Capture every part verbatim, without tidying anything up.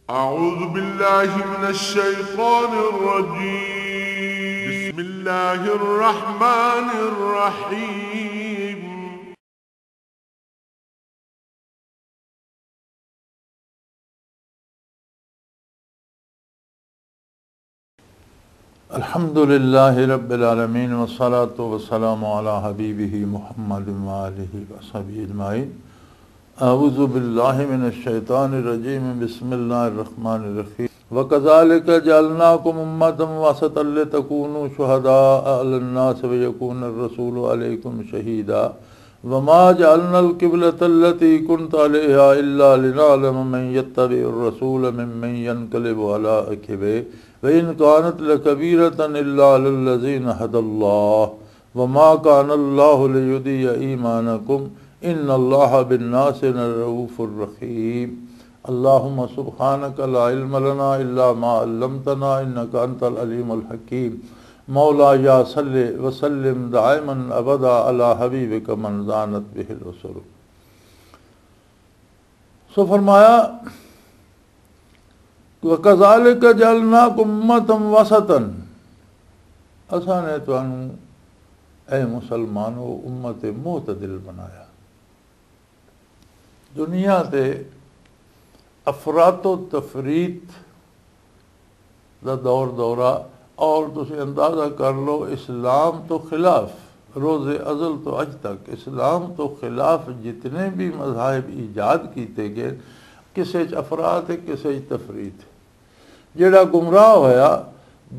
أعوذ بالله من الشيطان الرجيم. بسم الله الرحمن الرحيم. الحمد لله رب العالمين، والصلاة والسلام على حبيبه محمد وآله وصحبه أجمعين. أعوذ بالله من الشيطان الرجيم. بسم الله الرحمن الرحيم. وكذلك جعلناكم أمة وسطا لتكونوا شهداء على الناس ويكون الرسول عليكم شهيدا. وما جعلنا القبلة التي كنت عليها إلا لنعلم من يتبع الرسول ممن ينقلب على عقبيه وإن كانت لكبيرة إلا على الذين هدى الله وما كان الله ليضيع إيمانكم إن الله بالناس لرؤوف رحيم. اللهم سبحانك لا علم لنا إلا ما علمتنا إنك أنت العليم الحكيم. مولاي صل وسلم دائما أبدا على حبيبك من زانت به الأسر. سو فرمایا، وَكَذَلِكَ جَعَلْنَاكُمْ أُمَّةً وَسَطًا، اساں نے تانوں، اے مسلمانو، امت معتدل بنایا۔ دنیا تے افراط و تفریط دا دور دورہ، اور تسی اندازہ کر لو، اسلام تو خلاف، روز ازل تو اج تک اسلام تو خلاف جتنے بھی مذاہب ایجاد کیتے گئے، کسے چ افراط ہے، کسے چ تفریط ہے۔ جڑا گمراہ ہویا،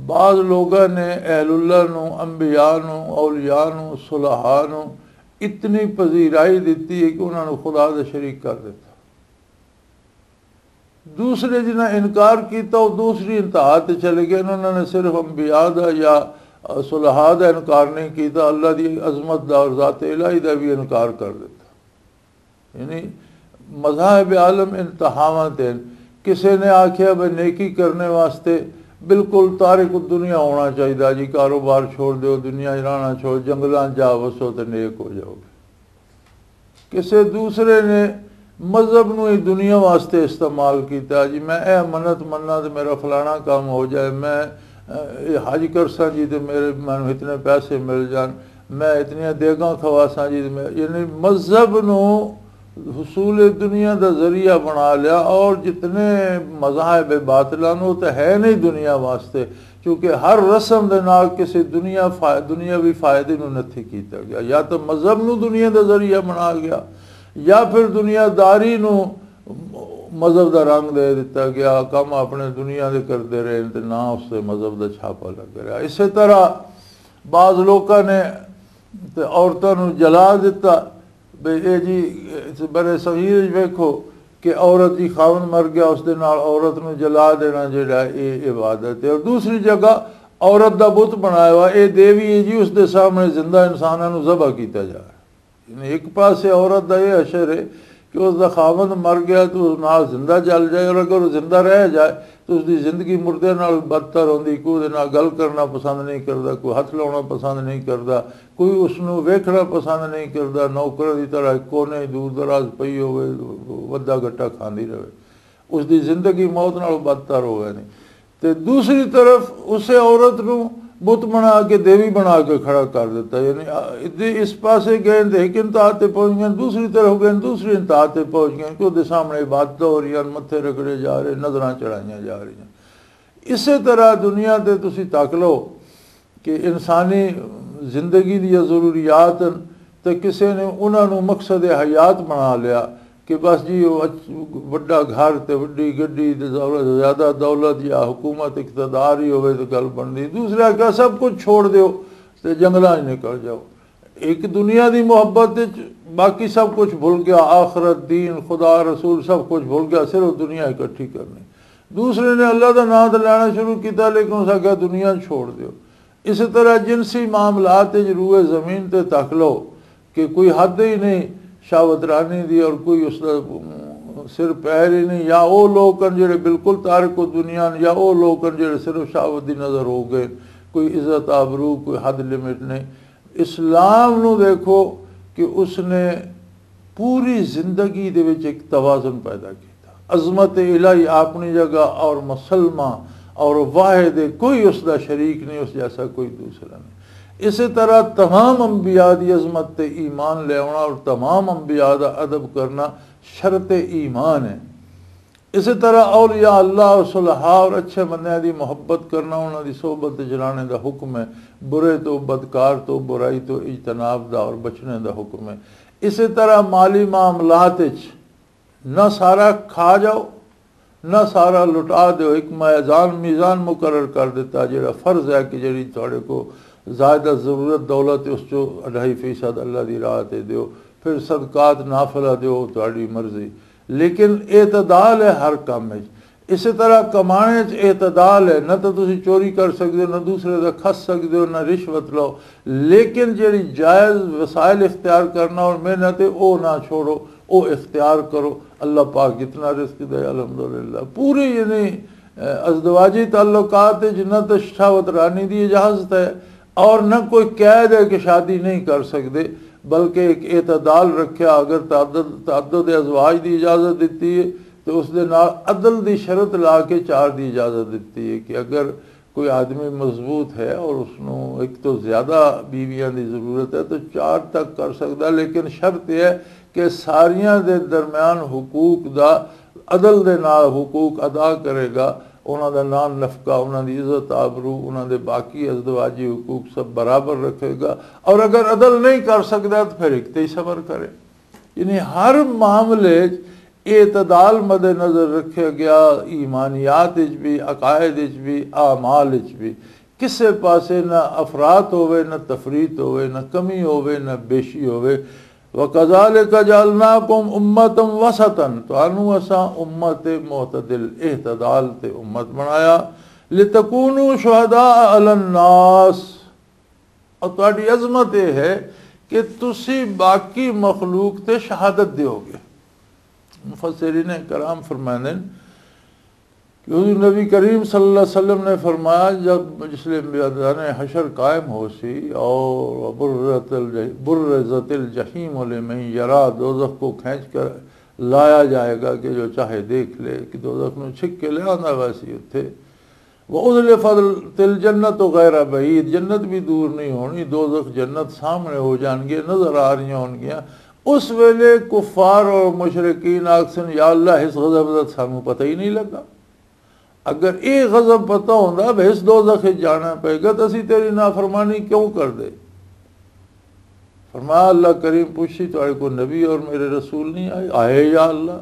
بعض لوگاں نے اہل اللہ نو، انبیاء نو، اولیاء نو، صلحاء نو اتنی پذیرائی دتی ہے کہ انہاں نو خدا دا شریک کر دتا۔ دوسرے جنہاں انکار کیتا، وہ دوسری انتہا تے چلے گئے۔ انہوں نے صرف انبیاء دا یا صلحاء دا انکار نہیں کیتا، اللہ دی عظمت دا اور ذات الہی دا بھی انکار کر دیتا۔ یعنی مذاہب عالم انتہاواں تے ہن۔ کسے نے آکھیا بھئی نیکی کرنے واسطے بالکل تارک الدنیا ہونا چاہیدا جی، کاروبار چھوڑ دیو، دنیا ہی رہنا چھوڑ، جنگلاں جا وسو تے نیک ہو جاؤ گے۔ کسے دوسرے نے مذہب نو ہی دنیا واسطے استعمال کیتا جی، میں اے منت مننا تے میرا فلانا کام ہو جائے، میں اے حج کرساں جی تے میرے، مینوں اتنے پیسے مل جان، میں اتنیاں دیگاں کھواساں جی تے میں، یعنی مذہب نو حصول دنیا دا ذریعہ بنا لیا۔ اور جتنے مذاہب باطلاں نو تے ہے نہیں دنیا واسطے، کیونکہ ہر رسم دے نال کسی دنیا فا-، دنیاوی فائدے نو نتھی کیتا گیا۔ یا تو مذہب نو دنیا دا ذریعہ بنا گیا، یا پھر دنیا داری نو مذہب دا رنگ دے دتا گیا، کم اپنے دنیا دے کردے رہے تے نہ اس تے مذہب دا چھاپا لگ رہا۔ اسی طرح بعض لوکاں نے تے عورتاں نو جلا دتا۔ بے اے جی، اس بر صغیر وچ ویکھو کہ عورت دی خاوند مر گیا، اس دے نال عورت نو جلا دینا جڑا اے عبادت ہے۔ اور دوسری جگہ عورت دا بت بنایا ہوا، اے دیوی ہے جی، اس دے سامنے زندہ انساناں نو ذبح کیتا جا رہا ہے۔ یعنی ایک پاسے عورت دا یہ حشر ہے کہ اس دا خاوند مر گیا تو اس نال زندہ جل جائے، اور اگر وہ زندہ رہ جائے تو اس دی زندگی مردے نال بدتر ہوندی۔ کوئی اس دے نال گل کرنا پسند نہیں کردا، کوئی ہتھ لاؤنا پسند نہیں کردا، کوئی اس نوں ویکھنا پسند نہیں کردا، نوکر دی طرح کونے دور دراز پئی ہوئے، ودا گٹا کھاندی رہے۔ اس دی زندگی موت نال بدتر ہوئے نہیں۔ تے دوسری طرف اسے عورت نوں بت بنا کے، دیوی بنا کے کھڑا کر دیتا۔ یعنی، آ، ادھے اس پاسے گئے تے ایک انتہا تے پہنچ گئے، دوسری طرف گئے، دوسری انتہا تے پہنچ گئے، کہ دے سامنے عبادت ہو رہی ہیں، متھے رگڑے جا رہے، نظراں چڑھائیاں جا رہی ہیں۔ اسی طرح دنیا تے تسی تک لو کہ انسانی زندگی دی ضروریات ہن، تے کسے نے انہاں نوں مقصد حیات بنا لیا کہ بس جی، وہ اچ-، وڈا گھر تے وڈی گڈی تے دولت، زیادہ دولت یا حکومت اقتدار ہی ہوئے تے گل بندی۔ دوسرے آکھیا، "سب کچھ چھوڑ دیو تے جنگلاں وچ نکل جاؤ۔" ایک دنیا دی محبت وچ باقی سب کچھ بھول گیا، آخرت، دین، خدا، رسول، سب کچھ بھول گیا، صرف دنیا اکٹھی کرنی۔ دوسرے نے اللہ دا نام تے لینا شروع کیتا، لیکن اس آکھیا، "دنیا چھوڑ دیو۔" اس طرح جنسی معاملات وچ روئے زمین تے تک لو کہ کوئی حد ہی نہیں، شہوت رانی دی، اور کوئی اس دا سر پیر ہی نہیں۔ یا او لوگ ہن جڑے بالکل تارک و دنیا ہن، یا او لوگ ہن جڑے صرف شہوت دی نظر ہو گئے، کوئی عزت آبرو، کوئی حد لمٹ نہیں۔ اسلام نو دیکھو کہ اس نے پوری زندگی دے وچ ایک توازن پیدا کیتا۔ عظمت الہی اپنی جگہ اور مسلمہ اور واحد ہے، کوئی اس دا شریک نہیں، اس جیسا کوئی دوسرا نہیں۔ اسی طرح تمام انبیاء دی عظمت تے ایمان لے آنا اور تمام انبیاء دا ادب کرنا شرط ایمان ہے۔ اسی طرح اولیاء اللہ اور صلحاء اور اچھے بندیاں دی محبت کرنا، انہاں دی صحبت وچ رہنے دا حکم ہے۔ برے تو، بدکار تو، برائی تو اجتناب دا اور بچنے دا حکم ہے۔ اسی طرح مالی معاملات وچ نہ سارا کھا جاؤ، نہ سارا لٹا دیو۔ ایک میزان، میزان مقرر کر دیتا، جڑا فرض ہے کہ جڑی تھوڑے کو زیادہ ضرورت دولت ہے، اس چو اڑھائی فیصد اللہ دی راہ تے دیو، پھر صدقات نافلہ دیو، تھوڑی مرضی۔ لیکن اعتدال ہے ہر کام وچ۔ اسی طرح کمانے وچ اعتدال ہے، نہ تو تسی چوری کر سکدے ہو، نہ دوسرے دا کھس سکدے ہو، نہ رشوت لو، لیکن جڑی جائز وسائل اختیار کرنا اور محنت ہے، او نہ چھوڑو، او اختیار کرو۔ اللہ پاک جتنا رزق دے، الحمدللہ۔ پوری یعنی، اے، ازدواجی تعلقات وچ نہ تو شہوت رانی دی اجازت ہے اور نہ کوئی قید ہے کہ شادی نہیں کر سکدے، بلکہ ایک اعتدال رکھیا۔ اگر تعدد، تعدد ازواج دی اجازت دتی ہے تو اس دے نال عدل دی شرط لا کے چار دی اجازت دتی ہے کہ اگر کوئی آدمی مضبوط ہے اور اس نوں ایک تو زیادہ بیویاں دی ضرورت ہے تو چار تک کر سکدا، لیکن شرط یہ ہے کہ ساریاں دے درمیان حقوق دا، عدل دے نال حقوق ادا کرے گا، انہاں دا نان نفقہ، انہاں دی عزت آبرو، انہاں دے باقی ازدواجی حقوق سب برابر رکھے گا، اور اگر عدل نہیں کر سکدا تو پھر ایک تے ہی صبر کرے۔ یعنی ہر معاملے وچ اعتدال مد نظر رکھیا گیا، ایمانیات وچ بھی، عقائد وچ بھی، اعمال وچ بھی۔ کسے پاسے نہ افراط ہوئے، نہ تفریط ہوئے، نہ کمی ہوئے، نہ بیشی ہوئے۔ وَكَذَلِكَ جَعَلْنَاكُمْ أُمَّةً وَسَطًا، تانوں اساں امت معتدل، اعتدال تے امت بنایا۔ لِتَكُونُوا شُهَدَاءَ عَلَى النَّاسِ، اور تہاڈی عظمت یہ ہے کہ تسی باقی مخلوق تے شہادت دیو گے۔ مفسرین کرام فرماندے نے کہ حضور نبی کریم صلی اللہ علیہ وسلم نے فرمایا، جب جس لئے میدان حشر قائم ہو سی اور برزت الج-، برزت الجحیم لمن یرا، دوزخ کو کھینچ کر لایا جائے گا کہ جو چاہے دیکھ لے، کہ دوزخ نو چھک کے لے آندا ویسی اتھے۔ وَأُزْلِفَتِ الْجَنَّةُ غَيْرَ بَعِيدٍ، جنت بھی دور نہیں ہونی، دوزخ جنت سامنے ہو جان گے، نظر آ رہی ہون گیاں۔ اس ویلے کفار اور مشرکین آکھسن، یا اللہ، اس غضب دا سانوں پتہ ہی نہیں لگا۔ اگر یہ غضب پتہ ہوندا، بھئی اس دوزخ وچ جانا پے گا، تو اسی تیری نافرمانی کیوں کر دے؟ فرمایا، اللہ کریم پوچھی، تہاڈے کو نبی اور میرے رسول نہیں آئے؟ آئے یا اللہ۔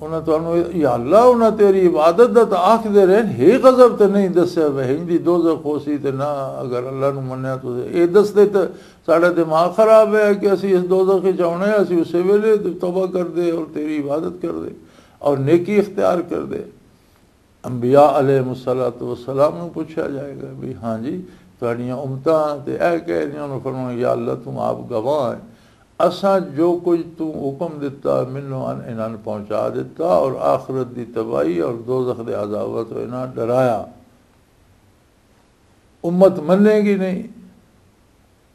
انہاں تانوں، یا اللہ، انہاں تیری عبادت دا تاں آکھدے رہے، ہے غضب تے نہیں دسیا، وہین دی دوزخ ہو سی تے نہ، اگر اللہ نو منیا تو اے دس دے تے ساڈا دماغ خراب ہے کہ اسی اس دوزخ وچ آونا ہے، اسی اسے ویلے توبہ کر دے اور تیری عبادت کر دے اور نیکی اختیار کر دے۔ انبیاء علیہ الصلوۃ والسلام نوں پوچھا جائے گا بھی، ہاں جی، تہاڈیاں امتاں تے اے کہہ رہیاں، انہوں فرمایا، یا اللہ، توں آپ گواہ ہے، اساں جو کچھ توں حکم دتا، مینوں ان انہاں نوں پہنچا دتا، اور آخرت دی تباہی اور دوزخ دے عذاباں تو انہاں ڈرایا۔ امت منے گی نہیں۔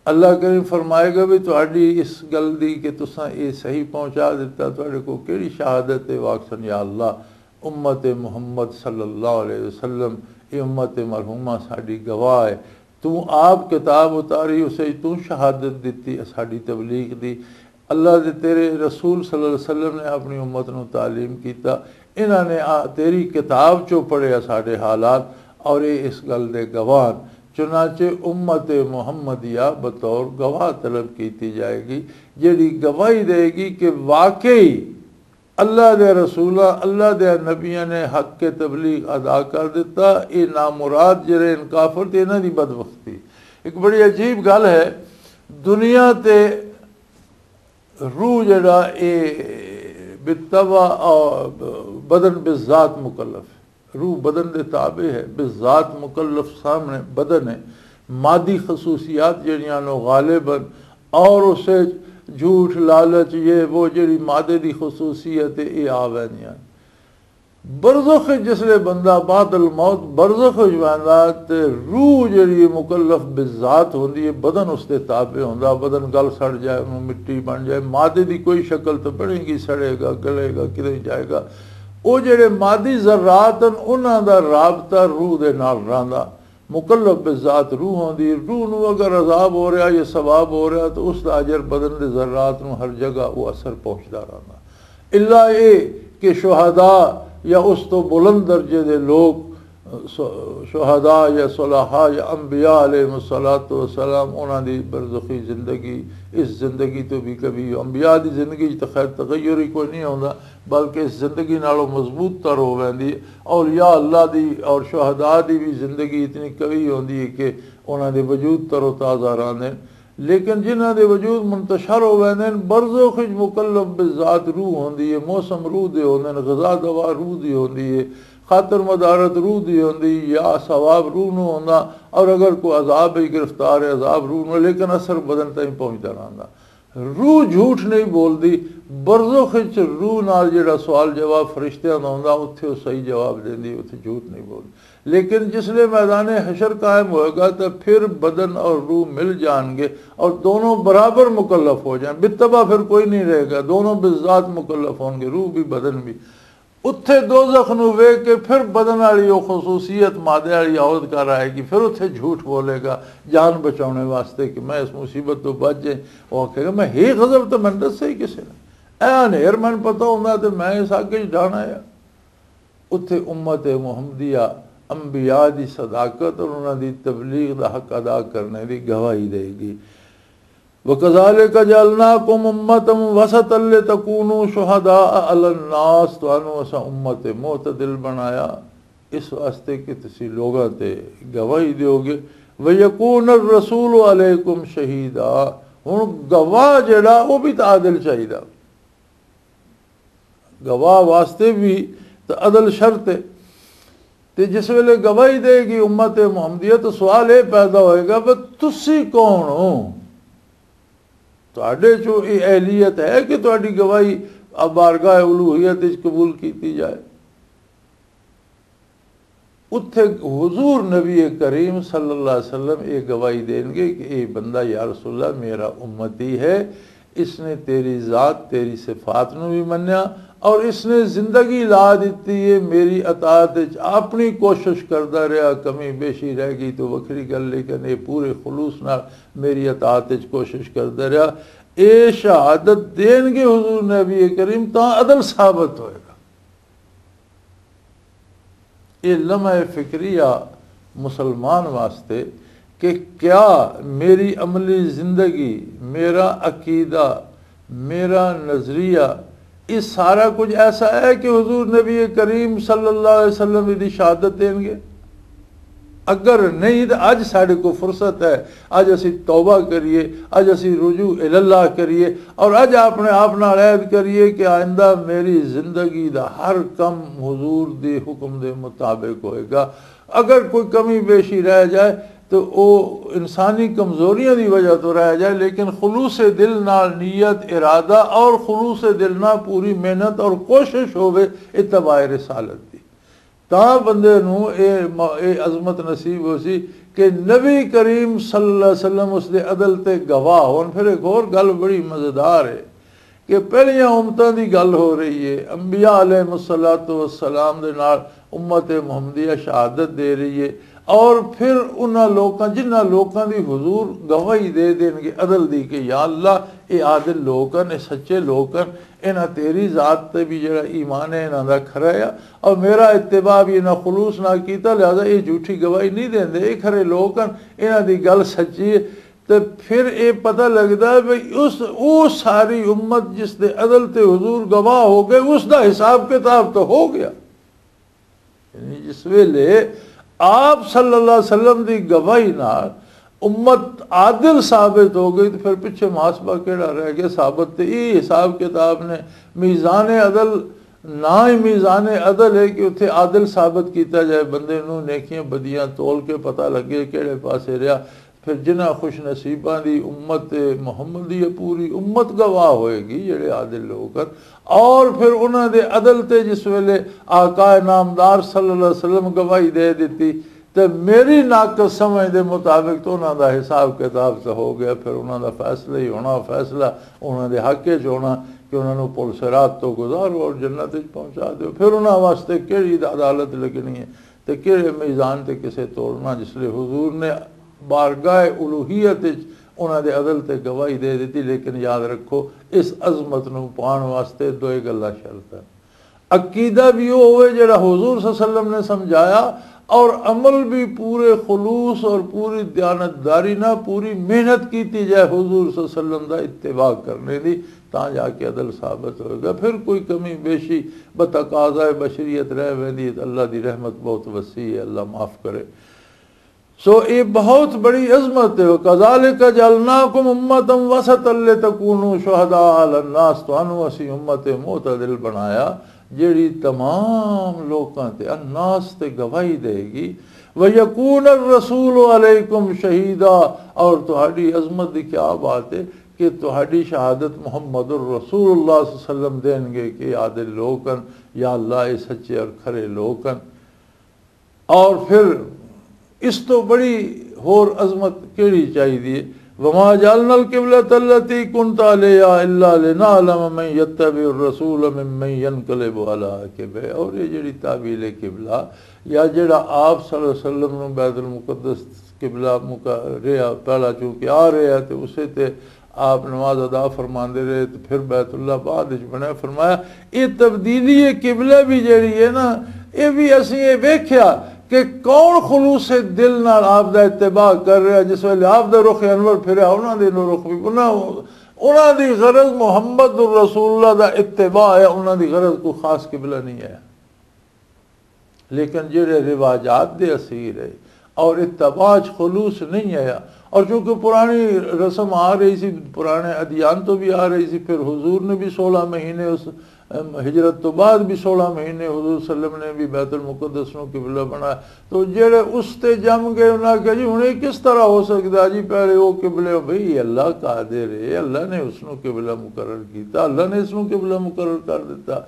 اللہ کریم فرمائے گا بھی تہاڈی اس گل دی کہ تساں اے صحیح پہنچا دیتا، تہاڈے کو کیڑی شہادت ہے؟ واکسن، یا اللہ، امت محمد صلی اللہ علیہ وسلم، اے امت مرحومہ ساڈی گواہ ہے۔ تو آپ کتاب اتاری، اسے تو شہادت دیتی ساڈی تبلیغ دی۔ اللہ دے تیرے رسول صلی اللہ علیہ وسلم نے اپنی امت نو تعلیم کیتا، انہاں نے آ تیری کتاب چوں پڑھیا ساڈے حالات، اور اے اس گل دے گواہ ہن۔ چنانچہ امت محمدیہ بطور گواہ طلب کیتی جائے گی، جیڑی گواہی دے گی کہ واقعی اللہ دے رسولاں، اللہ دے نبیاں نے حق کے تبلیغ ادا کر دیتا۔ اے نامراد جڑے ان کافر تے انہاں دی بدبختی۔ ایک بڑی عجیب گل ہے، دنیا تے روح جڑا اے بالطبع اور بدن بالذات مکلف ہے۔ روح بدن دے تابع ہے، بالذات مکلف سامنے بدن ہے۔ مادی خصوصیات جڑیاں نو غالب ہیں اور اسے جھوٹ، لالچ، یہ وہ جڑی مادے دی خصوصیت ہے، یہ آ ویندیاں۔ برزخ وچ جس لے بندہ بعد الموت برزخ وچ ویندا، تے روح جڑی ہے مکلف بالذات ہوندی ہے، بدن اس دے تابع ہوندا، بدن گل سڑ جائے، انہوں مٹی بن جائے، مادے دی کوئی شکل تو بنے گی، سڑے گا، گلے گا، کدے جائے گا۔ او جڑے مادی ذرات ہن، انہاں دا رابطہ روح دے نال رہندا۔ مکلف بالذات روح ہوندی، روح نو اگر عذاب ہو رہا یا ثواب ہو رہا تو اس دا اجر بدن دے ذرات نو ہر جگہ وہ اثر پہنچدا رہندا۔ الا اے کہ شہداء یا اس تو بلند درجے دے لوگ، شہداء یا صلحاء یا انبیاء علیہ الصلوۃ والسلام، انہاں دی برزخی زندگی اس زندگی تو بھی کبھی، انبیاء دی زندگی وچ تے خیر تغیر ہی کوئی نہیں ہوندا، بلکہ اس زندگی نالوں مضبوط تر ہو ویندی۔ اولیاء اللہ دی اور شہداء دی بھی زندگی اتنی قوی ہوندی ہے کہ انہاں دے وجود تر و تازہ رہندے۔ لیکن جنہاں دے وجود منتشر ہو ویندے نے، برزخ وچ مکلف بالذات روح ہوندی ہے، موسم روح دے ہوندے نے، غذا دوا روح دی ہوندی ہے، خاطر مدارت روح دی ہوندی یا ثواب روح نو ہوندا، اور اگر کوئی عذاب وچ گرفتار ہے، عذاب روح نو، لیکن اثر بدن تائیں پہنچدا رہندا۔ روح جھوٹ نہیں بولدی۔ برزخ وچ روح نال جڑا سوال جواب فرشتیاں دا ہوندا، اتھے او صحیح جواب دیندی، اتھے جھوٹ نہیں بولدی۔ لیکن جس لے میدان حشر قائم ہوئے گا، تو پھر بدن اور روح مل جان گے اور دونوں برابر مکلف ہو جائیں۔ بالطبع پھر کوئی نہیں رہے گا، دونوں بالذات مکلف ہوں گے، روح بھی بدن بھی۔ اتھے دوزخ نو ویکھ کے پھر بدن والی او خصوصیت مادے والی عورت گھر آئے گی، پھر اتھے جھوٹ بولے گا جان بچاؤنے واسطے کہ میں اس مصیبت تو بچ جائیں۔ وہ آکھے گا، میں ہی غضب تو میں دسے ہی کسے نے۔ اے انہیر میں پتہ ہوندا تے میں اس اگ وچ ڈانا آ۔ اتھے امت محمدیہ انبیاء دی صداقت اور انہاں دی تبلیغ دا حق ادا کرنے دی گواہی دے گی۔ وَكَذَلِكَ جَعَلْنَاكُمْ أُمَّةً وَسَطًا لِتَكُونُوا شُهَدَاءَ عَلَى النَّاسِ، تانوں اساں امت معتدل بنایا اس واسطے کہ تسی لوگاں تے گواہی دیو گے۔ وَيَكُونَ الرَّسُولُ عَلَيْكُمْ شَهِيدًا، ہن گواہ جڑا وہ بھی تے عادل چاہیدا۔ گواہ واسطے بھی تے عدل شرط ہے۔ تے جس ویلے گواہی دے گی امت محمدیہ، تو سوال یہ پیدا ہوئے گا، "بس تسی کون ہو؟ تہاڈے چوں یہ اہلیت ہے کہ تہاڈی گواہی بارگاہ الوہیت وچ قبول کیتی جائے؟" اتھے حضور نبی کریم صلی اللہ علیہ وسلم یہ گواہی دین گے کہ یہ بندہ، یا رسول اللہ، میرا امتی ہے، اس نے تیری ذات، تیری صفات نو بھی منیا، اور اس نے زندگی لا دیتی ہے میری اطاعت وچ، اپنی کوشش کردا رہیا، کمی بیشی رہ گئی تو وکھری گل، لیکن یہ پورے خلوص نال میری اطاعت وچ کوشش کردا رہیا۔ اے شہادت دین گے حضور نبی کریم، تاں عدل ثابت ہوئے گا۔ یہ لمحہ فکریہ مسلمان واسطے کہ کیا میری عملی زندگی، میرا عقیدہ، میرا نظریہ، یہ سارا کچھ ایسا ہے کہ حضور نبی کریم صلی اللہ علیہ وسلم دی شہادت دیں گے؟ اگر نہیں تو اج ساڈے کو فرصت ہے، اج اسی توبہ کریے، اج اسی رجوع الی اللہ کریے، اور اج اپنے آپ نال عہد کریے کہ آئندہ میری زندگی دا ہر کم حضور دے حکم دے مطابق ہوئے گا۔ اگر کوئی کمی بیشی رہ جائے تو او انسانی کمزوریاں دی وجہ تو رہ جائے، لیکن خلوص دل نال نیت، ارادہ اور خلوص دل نال پوری محنت اور کوشش ہوے اتباع رسالت دی، تاں بندے نوں اے م-، اے عظمت نصیب ہو سی کہ نبی کریم صلی اللہ علیہ وسلم اس دے عدل تے گواہ ہون۔ پھر ایک اور گل بڑی مزیدار ہے کہ پہلیاں امتاں دی گل ہو رہی ہے، انبیاء علیہ الصلوۃ والسلام دے نال امت محمدیہ شہادت دے رہی ہے، اور پھر انہاں لوکاں، جنہاں لوکاں دی حضور گواہی دے دین گے عدل دی کہ یا اللہ، اے عادل لوک ہن، اے سچے لوک ہن، انہاں تیری ذات تے بھی جڑا ایمان ہے انہاں دا کھرا ہے، اور میرا اتباع بھی انہاں خلوص نال کیتا، لہذا اے جھوٹی گواہی نہیں دیندے، اے کھرے لوک ہن، انہاں دی گل سچی ہے۔ تے پھر اے پتہ لگدا ہے بھئی اس، او ساری امت جس دے عدل تے حضور گواہ ہو گئے، اس دا حساب کتاب تو ہو گیا۔ یعنی جس ویلے آپ صلی اللہ علیہ وسلم دی گواہی نال امت عادل ثابت ہو گئی، تو پھر پچھے محاسبہ کیڑا رہ گیا؟ ثابت تے یہ حساب کتاب نے، میزان عدل، نہ ہی میزان عدل ہے کہ اتھے عادل ثابت کیتا جائے، بندے نوں نیکیاں بدیاں تول کے پتہ لگے کیڑے پاسے رہیا۔ پھر جنہاں خوش نصیباں دی امت محمدی، پوری امت گواہ ہوئے گی، جڑے عادل لوگ ہن۔ اور پھر انہاں دے عدل تے جس ویلے آقا نامدار صلی اللہ علیہ وسلم گواہی دے دتی، تے میری ناقص سمجھ دے مطابق تو انہاں دا حساب کتاب تے ہو گیا۔ پھر انہاں دا فیصلہ ہی ہونا، فیصلہ انہاں دے حق وچ ہونا کہ انہاں نوں پل صراط تو گزارو اور جنت وچ پہنچا دیو۔ پھر انہاں واسطے کیڑی عدالت لگنی ہے تے کیڑے میزان تے کسے تولنا؟ جس لئے حضور نے بارگاہ الوہیت وچ انہاں دے عدل تے گواہی دے دتی۔ لیکن یاد رکھو، اس عظمت نوں پاؤن واسطے دوئے گلاں شرط ہیں۔ عقیدہ بھی وہ ہوئے جڑا حضور صلی اللہ علیہ وسلم نے سمجھایا، اور عمل بھی پورے خلوص اور پوری دیانتداری نہ، پوری محنت کیتی جائے حضور صلی اللہ علیہ وسلم دا اتباع کرنے دی، تاں جا کے عدل ثابت ہوئے گا۔ پھر کوئی کمی بیشی بتقاضائے بشریت رہ ویندی ہے، تے اللہ دی رحمت بہت وسیع ہے، اللہ معاف کرے۔ سو یہ بہت بڑی عظمت ہے۔ وَكَذَلِكَ جَعَلْنَاكُمْ أُمَّةً وَسَطًا لِتَكُونُوا شُهَدَاءَ عَلَى النَّاسِ، تانوں اسی امت معتدل بنایا، جیڑی تمام لوکاں تے، الناس تے گواہی دے گی۔ وَيَكُونَ الرَّسُولُ عَلَيْكُمْ شَهِيدًا، اور تہاڈی عظمت دی کیا بات ہے کہ تہاڈی شہادت محمد الرسول اللہ صلی اللہ علیہ وسلم دین گے کہ عادل لوک ہن، یا اللہ، یہ سچے اور کھرے لوک ہن۔ اور پھر اس تو بڑی ہور عظمت کیڑی چاہیدی ہے؟ وما جعلنا القبلة التي كنت عليها إلا لنعلم من يتبع الرسول ممن ينقلب على عقبه۔ اور یہ جڑی تعویل قبلہ، یا جڑا آپ صلی اللہ علیہ وسلم نو بیت المقدس قبلہ مکا رہا، پہلا چونکہ آ رہا تے اسے تے آپ نماز ادا فرماندے رہے تے پھر بیت اللہ بعد وچ بنیا۔ فرمایا، یہ تبدیلی قبلہ بھی جڑی ہے نا، یہ بھی اسی یہ ویکھیا کہ کون خلوص دل نال آپ دا اتباع کر رہا۔ جس ویلے آپ دا رخ انور پھریا، انہاں دے نو رخ بھی، انہاں، انہاں دی غرض محمد الرسول اللہ دا اتباع ہے، انہاں دی غرض کوئی خاص قبلہ نہیں ہے۔ لیکن جڑے رواجات دے اسیر ہے اور اتباع چ خلوص نہیں آیا، اور چونکہ پرانی رسم آ رہی سی، پرانے ادیان تو بھی آ رہی سی، پھر حضور نے بھی سولہ مہینے اس، ام، ہجرت تو بعد بھی سولہ مہینے حضور صلی اللہ علیہ وسلم نے بھی بیت المقدس نو قبلہ بنایا۔ تو جڑے اس تے جم گئے، انہاں کہا، "جی، ہن یہ کس طرح ہو سکدا جی؟ پہلے وہ قبلے۔" بھئی، اللہ قادر ہے، اللہ نے اس نو قبلہ مقرر کیتا، اللہ نے اس نو قبلہ مقرر کر دیتا۔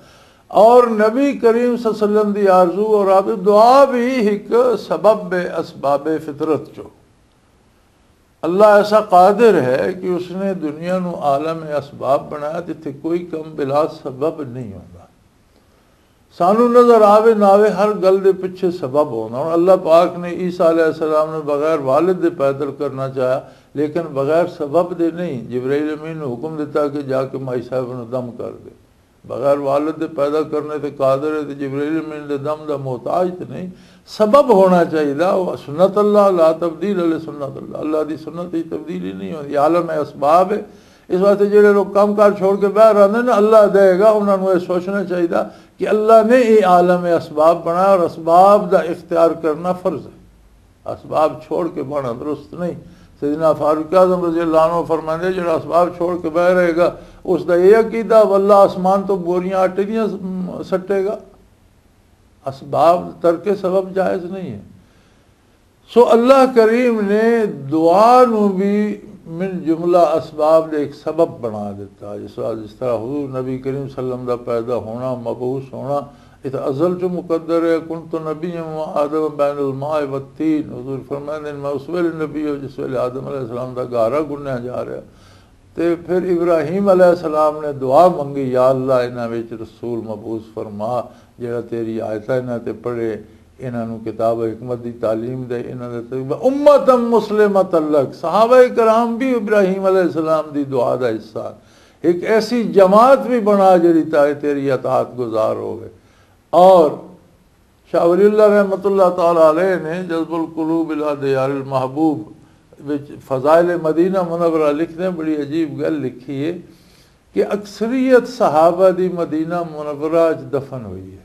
اور نبی کریم صلی اللہ علیہ وسلم دی آرزو اور آپ دعا بھی ایک سبب اسباب فطرت چو۔ اللہ ایسا قادر ہے کہ اس نے دنیا نو عالم اسباب بنایا جتھے کوئی کم بلا سبب نہیں ہوندا۔ سانو نظر آوے نہ آوے، ہر گل دے پیچھے سبب ہوندا۔ ہن اللہ پاک نے عیسیٰ علیہ السلام نے بغیر والد دے پیدا کرنا چاہیا، لیکن بغیر سبب دے نہیں۔ جبرائیل امین نے حکم دیتا کہ جا کے مائی صاحب نو دم کر دے۔ بغیر والد دے پیدا کرنے تے قادر ہے، تے جبرائیل امین دے دم دا محتاج تے نہیں۔ سبب ہونا چاہیے، وہ سنت اللہ، لا تبدیل علی سنت اللہ، اللہ دی سنت دی تبدیلی نہیں ہوندی، عالم اسباب ہے۔ اس واسطے جڑے لوگ کام کار چھوڑ کے باہر آندے نا، اللہ دے گا، انہاں نوں یہ سوچنا چاہیے کہ اللہ نے یہ عالم اسباب بنایا اور اسباب دا اختیار کرنا فرض ہے۔ اسباب چھوڑ کے بہنا درست نہیں۔ سیدنا فاروق اعظم رضی اللہ عنہ فرماندے، جڑا اسباب چھوڑ کے بہ رہے گا، اس دا یہ عقیدہ، واللہ آسمان تو بوریاں آٹے دیاں سٹے گا۔ اسباب، ترک سبب جائز نہیں ہے۔ سو اللہ کریم نے دعا نو بھی من جملہ اسباب دے ایک سبب بنا دیتا۔ جس طرح، جس طرح حضور نبی کریم صلی اللہ علیہ وسلم دا پیدا ہونا، مبعوث ہونا، یہ تو ازل چ مقدر ہے۔ "کنت نبی و آدم بین الماء والطین"، حضور فرمائے نے، "میں اس ویلے نبی ہوں جس ویلے آدم علیہ السلام دا گارا گنیا جا رہا۔" تے پھر ابراہیم علیہ السلام نے دعا منگی، "یا اللہ، انہاں وچ رسول مبعوث فرما، جڑا تیری آیتاں انہاں تے پڑھے، انہاں نوں کتاب حکمت دی تعلیم دے، انہاں دے تجربہ۔" امتا مسلمتا لک، صحابہ کرام بھی ابراہیم علیہ السلام دی دعا دا حصہ۔ ایک ایسی جماعت بھی بنا جڑی تائے تیری اطاعت گزار ہوئے۔ اور شاہ ولی اللہ رحمۃ اللہ تعالی علیہ نے جذب القلوب الی دیار المحبوب وچ فضائل مدینہ منورہ لکھنے بڑی عجیب گل لکھی ہے کہ اکثریت صحابہ دی مدینہ منورہ وچ دفن ہوئی ہے۔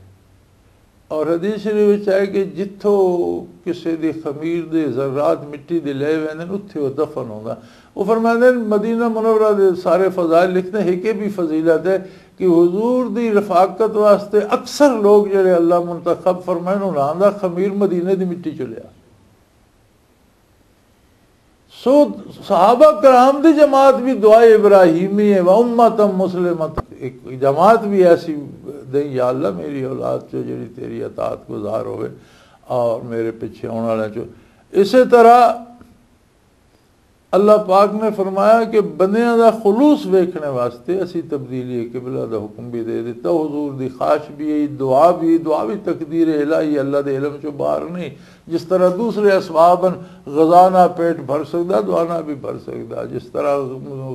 اور حدیث شریف وچ آئے کہ جتھوں کسے دی خمیر دے ذرات مٹی دے لے ویندے نے، اتھے وہ دفن ہوندا۔ وہ فرماندے نے، مدینہ منورہ دے سارے فضائل لکھتے ہیں کہ بھی فضیلت ہے کہ حضور دی رفاقت واسطے اکثر لوگ جڑے اللہ منتخب فرمائے، انہاں دا خمیر مدینے دی مٹی چ لیا۔ سو صحابہ کرام دی جماعت بھی دعا ابراہیمی ہے، و امتا مسلمتا، ایک جماعت بھی ایسی دیں یا اللہ، میری اولاد چو جڑی تیری اطاعت گزار ہوئے اور میرے پیچھے آنے والے چو۔ اسی طرح اللہ پاک نے فرمایا کہ بندیاں دا خلوص ویکھنے واسطے اسی تبدیلی قبلہ دا حکم بھی دے دیتا۔ حضور دی خواہش بھی ہے، دعا بھی، دعا بھی تقدیر الہی، اللہ دے علم چو باہر نہیں۔ جس طرح دوسرے اسباب ہیں، غذا نہ پیٹ بھر سکدا، دعا نہ بھی بھر سکدا۔ جس طرح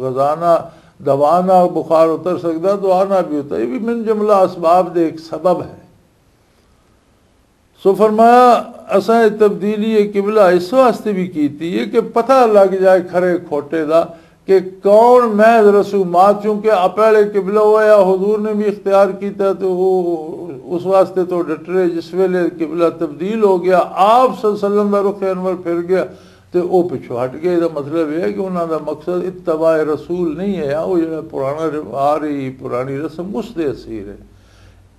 غذا نہ، دوا نہ بخار اتر سکدا، دعا نہ بھی ہوتا۔ یہ بھی من جملہ اسباب دے ایک سبب ہے۔ سو فرمایا، اساں یہ تبدیلی قبلہ اس واسطے بھی کیتی ہے کہ پتہ لگ جائے کھرے کھوٹے دا کہ کون محض رسومات، چونکہ آ پہلے قبلہ ہوا، حضور نے بھی اختیار کیتا، تو وہ اس واسطے تو ڈٹرے۔ جس ویلے قبلہ تبدیل ہو گیا، آپ صلی اللہ علیہ وسلم دا رخ انور پھر گیا، تے او پچھو ہٹ گئے۔ دا مطلب یہ ہے کہ انہاں دا مقصد اتباع رسول نہیں ہے، وہ جڑا پرانا رو-، آ رہی پرانی رسم، اس دے اسیر ہے۔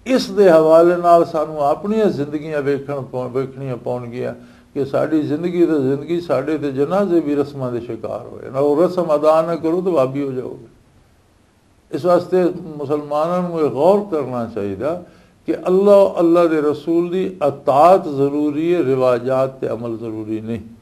اس دے حوالے نال سانو اپنیاں زندگیاں ویکھن پو-، ویکھنیاں پون گیاں کہ ساڈی زندگی تے زندگی، ساڈے تے جنازے بھی رسماں دے شکار ہوئے۔ نہ وہ رسم ادا نہ کرو تو بھابی ہو جاؤ گے۔ اس واسطے مسلماناں نوں یہ غور کرنا چاہیے کہ اللہ، اللہ دے رسول دی اطاعت ضروری ہے، رواجات تے عمل ضروری نہیں۔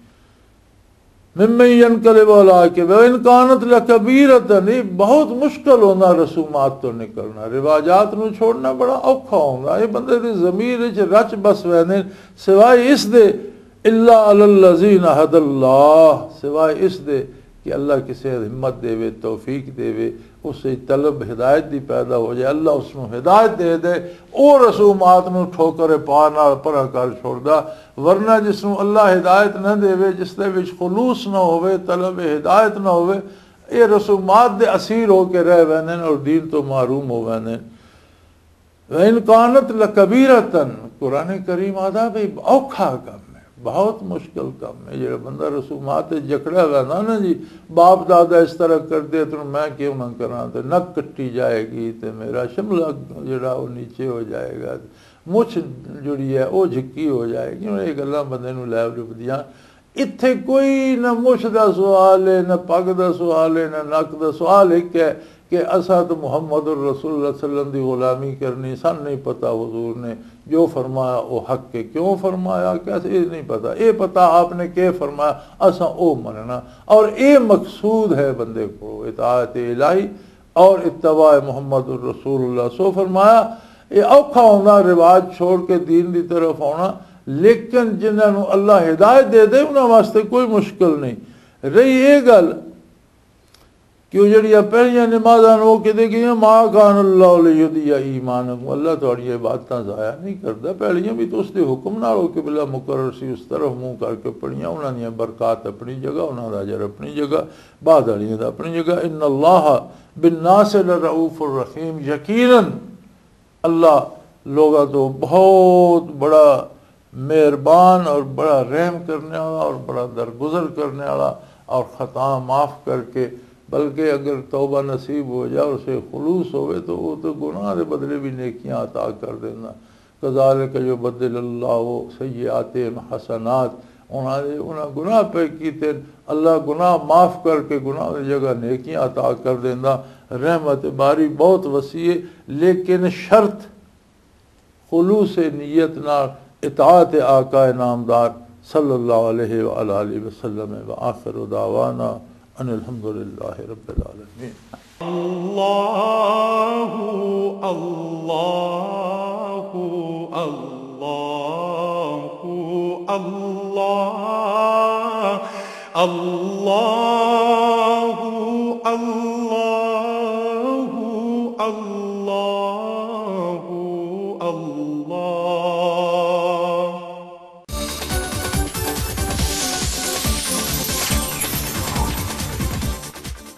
ممن ينقلب على عقبيه وإن كانت لكبيرة، یہ بہت مشکل ہونا رسومات تو نکلنا، رواجات نو چھوڑنا بڑا اوکھا ہونا۔ یہ بندے دے ضمیر وچ رچ بس ویندے، سوائے اس دے، الا علی الذین هدى الله، سوائے اس دے کہ اللہ کسے ہمت دے وے، توفیق دے وے، اس سے طلب ہدایت دی پیدا ہو جائے، اللہ اس نو ہدایت دے دے، او رسومات نو ٹھوکر پا نال پرا کر چھوڑدا۔ ورنہ جس نو اللہ ہدایت نہ دے وے، جس دے وچ خلوص نہ ہوے، طلب ہدایت نہ ہوے، اے رسومات دے اسیر ہو کے رہ ویندے نے اور دین تو محروم ہو ویندے نے۔ وَإِنْ كَانَتْ لَكَبِيرَةً، قرآن کریم آدھا بھی اوکھا کم ہے، بہت مشکل کم ہے۔ جڑا بندہ رسومات تے جکڑا ہوا نا، نا جی، باپ دادا اس طرح کر دے تو میں کیوں نہ کراں، تے نک کٹی جائے گی، تے میرا شملہ جڑا وہ نیچے ہو جائے گا، مچھ جڑی ہے وہ جھکی ہو جائے گی۔ یہ گلاں بندے نوں لے لبدیاں۔ اتھے کوئی نہ مچھ دا سوال ہے، نہ پگ دا سوال ہے، نہ نک دا سوال۔ ایک ہے کہ اساں تو محمد الرسول اللہ صلی اللہ علیہ وسلم دی غلامی کرنی، سن نہیں پتا حضور نے جو فرمایا وہ حق ہے، کیوں فرمایا، کیسے، یہ نہیں پتا۔ یہ پتا آپ نے کیا فرمایا، اساں او مننا۔ اور یہ مقصود ہے بندے کو اطاعت الہی اور اتباع محمد الرسول اللہ۔ سو فرمایا، یہ اوکھا ہونا رواج چھوڑ کے دین دی طرف آنا، لیکن جنہاں نوں اللہ ہدایت دے دے، انہاں واسطے کوئی مشکل نہیں۔ رہی یہ گل کہ وہ جڑیاں پہلیاں نمازاں نوں وہ کہتے کہ "ما کان اللہ لیضیع ایمانکم"، اللہ تہاڈیاں عبادتاں ضائع نہیں کردا۔ پہلیاں بھی تو اس دے حکم نال وہ قبلہ مقرر سی، اس طرف منہ کر کے پڑھیاں، انہاں دیاں برکات اپنی جگہ، انہاں دا اجر اپنی جگہ، بعد والیاں دا اپنی جگہ۔ ان اللہ بالناس لرؤوف الرحیم، یقیناً اللہ لوگاں تو بہت بڑا مہربان اور بڑا رحم کرنے والا اور بڑا درگزر کرنے والا، اور خطا معاف کر کے، بلکہ اگر توبہ نصیب ہو جائے اور اسے خلوص ہوئے تو وہ تو گناہ دے بدلے بھی نیکیاں عطا کر دینا۔ کذالک یبدل اللہ سیئاتہم حسنات، انہاں نے، انہاں گناہ پہ کیتے، اللہ گناہ معاف کر کے گناہ دی جگہ نیکیاں عطا کر دیندا۔ رحمت باری بہت وسیع ہے، لیکن شرط خلوص نیت نال اطاعت آقا نامدار صلی اللہ علیہ وآلہ وسلم۔ وآخر دعوانا ان الحمد للہ رب العالمین۔ اللہ، اللہ، اللہ، اللہ، اللہ، اللہ، اللہ۔